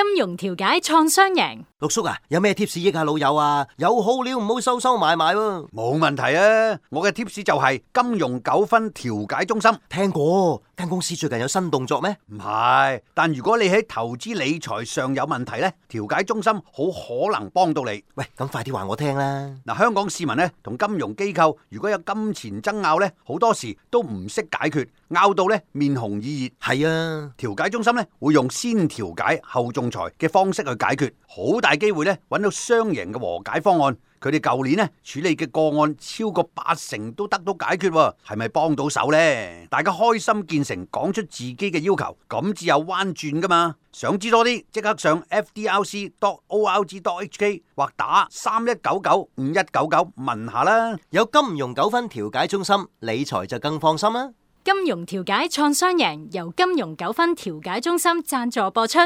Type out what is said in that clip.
金融調解創雙贏。陸叔啊，有咩 tips 益下老友啊？有好料唔好收收埋埋喎。冇問題啊！我嘅 tips 就係金融糾紛調解中心。聽過間公司最近有新動作咩？唔係，但如果你喺投資理財上有問題呢，調解中心好可能幫到你。喂，咁快啲話我聽啦！嗱，香港市民呢同金融機構如果有金錢爭拗呢，好多時都唔識解決，拗到呢面紅耳熱。係啊，調解中心呢會用先調解後仲裁嘅方式去解決，好大機會呢揾到雙贏嘅和解方案。佢哋舊年呢處理嘅個案超過80%都得到解決，係咪幫到手呢？大家開心見誠，講出自己嘅要求，咁至有彎轉噶嘛？想知多啲，即刻上 fdrc.org.hk 或打31995199問下啦。有金融糾紛調解中心，理財就更放心啦。金融調解創雙贏由金融糾紛調解中心贊助播出。